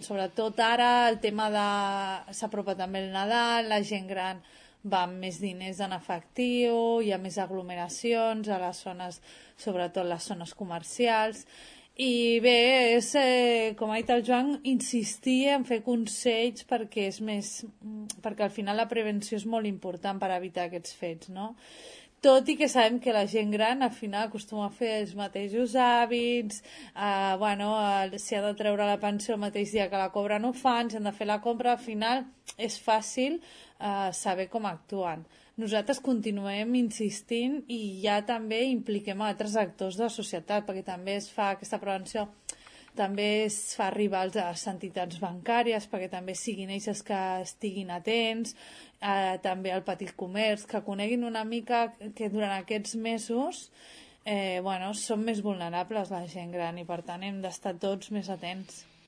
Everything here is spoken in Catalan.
sobretot ara el tema de... s'apropa també el Nadal, la gent gran va amb més diners en efectiu, hi ha més aglomeracions a les zones, sobretot les zones comercials, i bé, és, com ha dit el Joan, insistir en fer consells perquè és més, perquè al final la prevenció és molt important per evitar aquests fets, no? Tot i que sabem que la gent gran al final acostuma a fer els mateixos hàbits, si ha de treure la pensió el mateix dia que la cobra no ho fan, si han de fer la compra, al final és fàcil saber com actuen. Nosaltres continuem insistint i ja també impliquem altres actors de la societat, perquè també es fa aquesta prevenció, també es fa arribar a les entitats bancàries perquè també siguin ells que estiguin atents, també al petit comerç, que coneguin una mica que durant aquests mesos són més vulnerables la gent gran i per tant hem d'estar tots més atents.